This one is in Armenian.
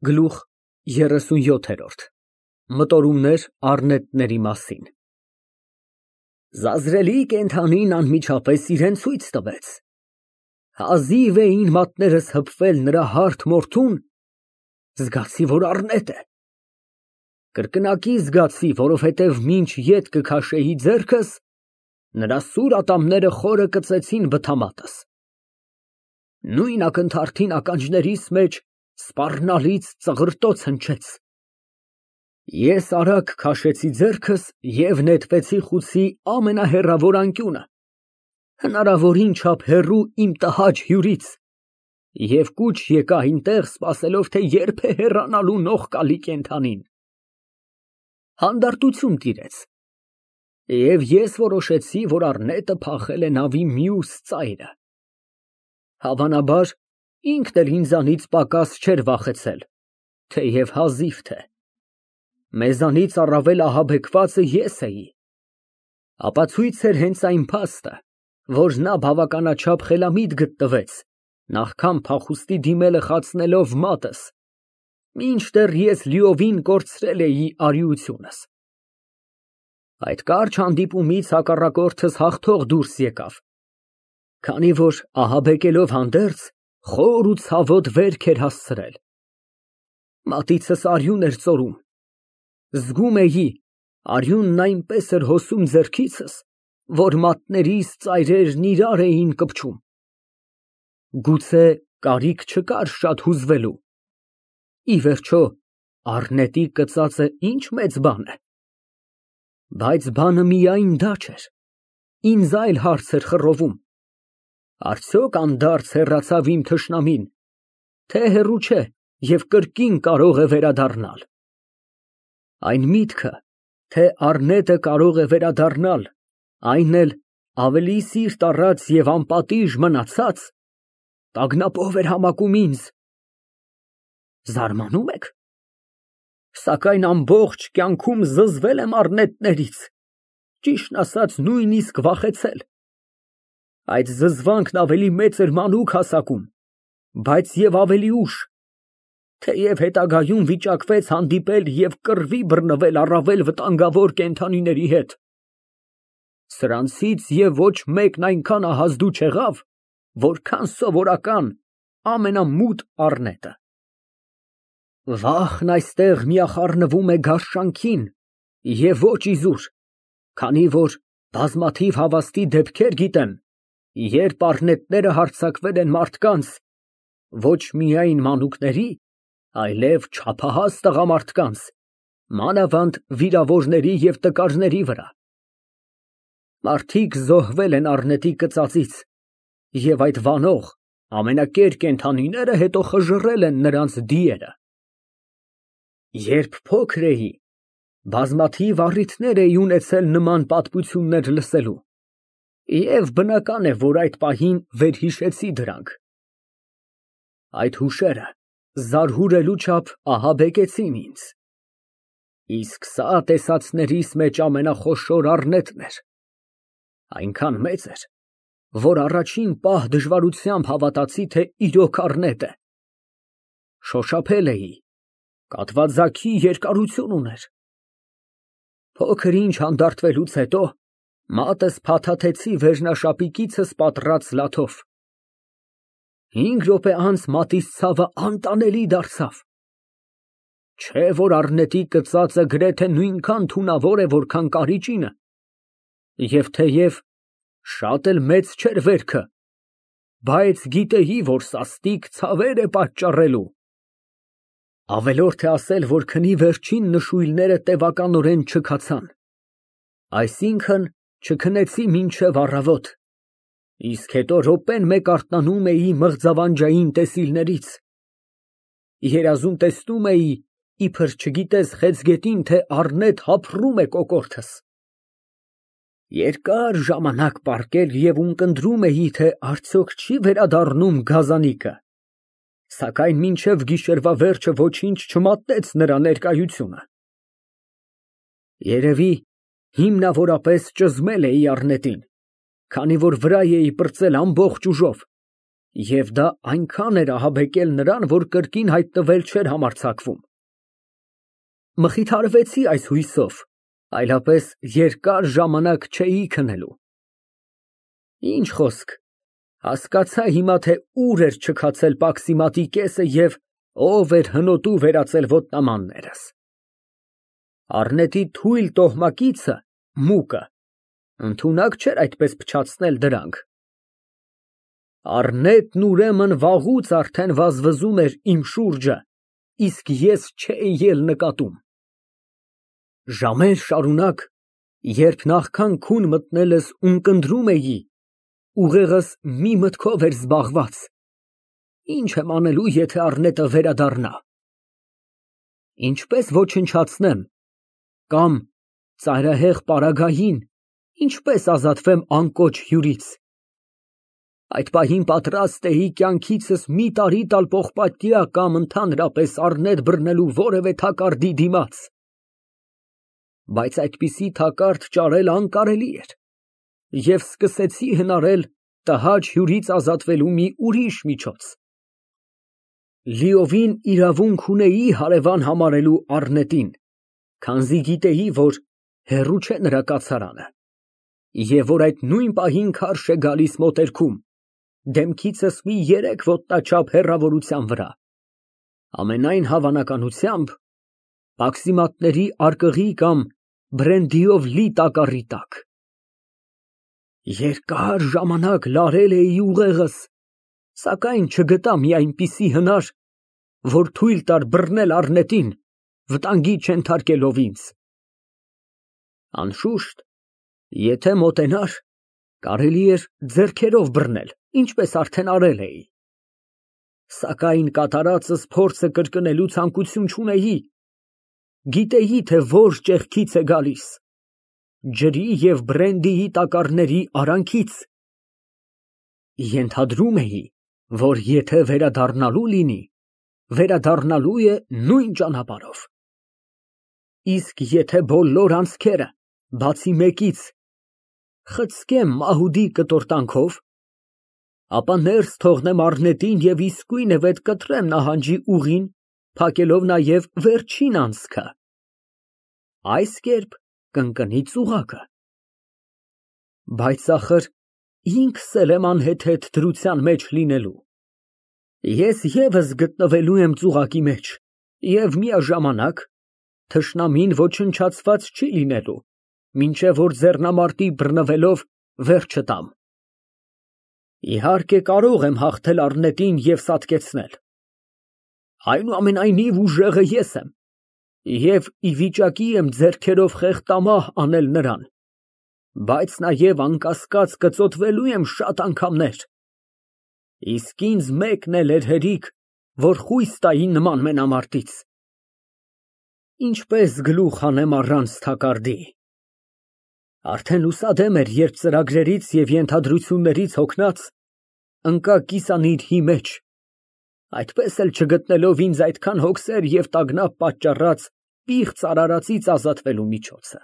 Գլուխ 37 Մտորումներ առնետների մասին։ Զազրելի կենդանին անմիջապես իրան ցույց տվեց։ Հազիվ էին մատներս հպվել նրա հարթ մորթուն, զգացի, որ առնետ է։ Կրկնակի զգացի, որովհետև մինչ ետ կքաշեի ձեռքս, նրա սուր ատամները խորը կծեցին բթամատս։ Նույն ակնթարթին ականջներիս մեջ սպառնալից ծղրտոց հնչեց։ Ես արագ քաշեցի ձեռքս և նետվեցի խուցի ամենահեռավոր անկյունը, հնարավորին չափ հեռու իմ տհաճ հյուրից, և կուչ եկա այնտեղ, սպասելով, թե երբ է հեռանալու նողկալի կենդանին։ Հանդարտություն տիրեց, և ես որոշեցի, որ առնետը փախել է նավի մյուս ծայրը։ Հավանաբար, ինքն էլ ինձանից պակաս չէր վախեցել, թեև հազիվ թե։ Մեզանից առավել ահաբեկվածը ես էի։ Ապացույց էր հենց այն փաստը, որ նա բավականաչափ խելամիտ գտնվեց, նախքան փախուստի դիմելը խացնելով մատս, մինչդեռ ես լիովին կորցրել էի արիությունս։ Այդ կարճ հանդիպումից հակառակորդս հաղթող դուրս եկավ, քանի որ ահաբեկելով հանդերձ, խոր ու ցավոտ վերք էր հասցրել։ Մատիցս արյուն էր ծորում։ Զգում էի, արյունն այնպես էր հոսում ձեռքիցս, որ մատներիս ծայրերն իրար էին կպչում։ Գուցե կարիք չկար շատ հուզվելու։ Ի վերջո, առնետի կծածը ինչ մեծ բան է։ Բայց բանը միայն դա չէր, ինձ այլ հարց էր խռովում. արդյոք անդարձ հեռացավ իմ թշնամին, թե հեռու չէ և կրկին կարող է վերադառնալ։ Այն միտքը, թե առնետը կարող է վերադառնալ, այն էլ ավելի սիրտ առած և անպատիժ մնացած, տագնապով էր համակում ինձ։ Զարմանում եք։ Սակայն ամբողջ կյանքում զզվել եմ առնետներից, ճիշտն ասած, նույնիսկ վախեցել։ Այդ զզվանքն ավելի մեծ էր մանուկ հասակում, բայց և ավելի ուշ, թեև հետագայում վիճակվեց հանդիպել և կռվի բռնվել առավել վտանգավոր կենդանիների հետ։ Սրանցից և ոչ մեկն այնքան ահազդու չեղավ, որքան սովորական ամենամութ առնետը։ Վախն այստեղ միախառնվում է գարշանքին և ոչ իզուր, քանի որ բազմաթիվ հավաստի դեպքեր գիտեմ, երբ առնետները հարձակվել են մարդկանց, ոչ միայն մանուկների, այլև չափահաս տղամարդկանց, մանավանդ վիրավորների և տկարների վրա։ Մարդիկ զոհվել են առնետի կծածից, և այդ վանող, ամենակեր կենդանիները հետո խժռել են նրանց դիերը։ Երբ փոքր էի, բազմաթիվ առիթներ էի ունեցել նման պատմություններ լսելու, և բնական է, որ այդ պահին վերհիշեցի դրանք։ Այդ հուշերը զարհուրելու չափ ահաբեկեցին ինձ։ Իսկ սա տեսածներիս մեջ ամենախոշոր առնետն էր, այնքան մեծ էր, որ առաջին պահ դժվարությամբ հավատացի, թե իրոք առնետ է։ Շոշափել էի, կատվաձագի երկարություն ուներ։ Փոքր ինչ հանդարտվելուց հետո մատս փաթաթեցի վերնաշապիկիցս պատռած լաթով։ 5 րոպե անց մատիս ցավը անտանելի դարձավ։ Չէ որ առնետի կծածը գրեթե նույնքան թունավոր է, որքան կարիճինը, և թեև շատ էլ մեծ չէր վերքը, բայց գիտեի, որ սաստիկ ցավեր է պատճառելու։ Ավելորդ է ասել, որ քնի վերջին նշույլները տևականորեն չքացան, այսինքն չքնեցի մինչև առավոտ, իսկ հետո րոպեն մեկ արթնանում էի մղձավանջային տեսիլներից։ Երազում տեսնում էի, իբր չգիտես խեցգետին, թե առնետ հափռում է կոկորդս։ Երկար ժամանակ պառկել և ունկնդրում էի, թե արդյոք չի վերադառնում գազանիկը, սակայն մինչև գիշերվա վերջը ոչինչ չմատնեց նրա ներկայությունը։ Երևի հիմնավորապես ճզմել էի առնետին, քանի որ վրա էի պրծել ամբողջ ուժով, Եվ դա այնքան էր ահաբեկել նրան, որ կրկին հայտնվել չէր համարձակվում։ Մխիթարվեցի այս հույսով, այլապես երկար ժամանակ չէի քնելու։ Ինչ խոսք, հասկացա հիմա, թե ուր էր չքացել պաքսիմատի կեսը և ով էր հնոտու վերածել ոտնամաններս։ Առնետի թույլ տոհմակիցը, մուկը, ընդունակ չէր այդպես փչացնել դրանք։ Առնետն ուրեմն վաղուց արդեն վազվզում էր իմ շուրջը, իսկ ես չէի էլ նկատում։ Ժամեր շարունակ, երբ նախքան քուն մտնելս ունկնդրում էի, ուղեղս մի մտքով էր զբաղված. ինչ եմ անելու, եթե առնետը վերադառնա։ Ինչպես ոչնչացնեմ, կամ ծայրահեղ պարագային, ինչպես ազատվեմ անկոչ հյուրից։ Այդ պահին պատրաստ էի կյանքիցս մի տարի տալ պողպատյա կամ ընդհանրապես առնետ բռնելու որևէ թակարդի դիմաց։ Բայց այդպիսի թակարդ ճարել անկարելի էր, և սկսեցի հնարել տհաճ հյուրից ազատվելու մի ուրիշ միջոց։ Լիովին իրավունք ունեի հարևան համարելու առնետին, քանզի գիտեի, որ հեռու չէ նրա կացարանը, և որ այդ նույն պահին քարշ է գալիս մոտերքում, դեմքիցս մի 3 ոտնաչափ հեռավորության վրա, ամենայն հավանականությամբ պաքսիմատների արկղի կամ բրենդիով լի տակառի տակ։ Երկար ժամանակ լարել էի ուղեղս, սակայն չգտա մի այնպիսի հնար, որ թույլ տար բռնել առնետին, վտանգի չենթարկելով ինձ։ Անշուշտ, եթե մոտենար, կարելի էր ձեռքերով բռնել, ինչպես արդեն արել էի։ Սակայն կատարածս փորձը կրկնելու ցանկություն չունեի։ Գիտեի, թե որ ճեղքից է գալիս, ջրի և բրենդիի տակառների արանքից։ Ենթադրում էի, որ եթե վերադառնալու լինի, վերադառնալու է նույն ճանապարհով։ Իսկ եթե բոլոր անցքերը, բացի մեկից, խցկեմ մահուդի կտորտանքով, ապա ներս թողնեմ առնետին և իսկույնևեթ կտրեմ նահանջի ուղին, փակելով նաև վերջին անցքը։ Այս կերպ կընկնի ծուղակը։ Բայց ախր ինքս էլ եմ անհեթեթ դրության մեջ լինելու։ Ես ևս գտնվելու եմ ծուղակի մեջ և միաժամանակ թշնամին ոչնչացված չի լինելու, մինչև որ ձեռնամարտի բռնվելով վերջը տամ։ Իհարկե կարող եմ հաղթել առնետին և սատկեցնել։ Այնուամենայնիվ ուժեղը ես եմ և ի վիճակի եմ ձեռքերով խեղդամահ անել նրան, բայց նաև անկասկած կծոտվելու եմ շատ անգամներ։ Իսկ ինձ մեկն էլ էր հերիք, որ խույս տայի նման մենամարտից։ Ինչպես գլուխ հանեմ առանց թակարդի։ Արդեն լուսադեմ էր, երբ ծրագրերից և ենթադրություններից հոգնած, ընկա կիսանիրհի մեջ, այդպես էլ չգտնելով ինձ այդքան հոգսեր և տագնապ պատճառած պիղծ արարածից ազատվելու միջոցը։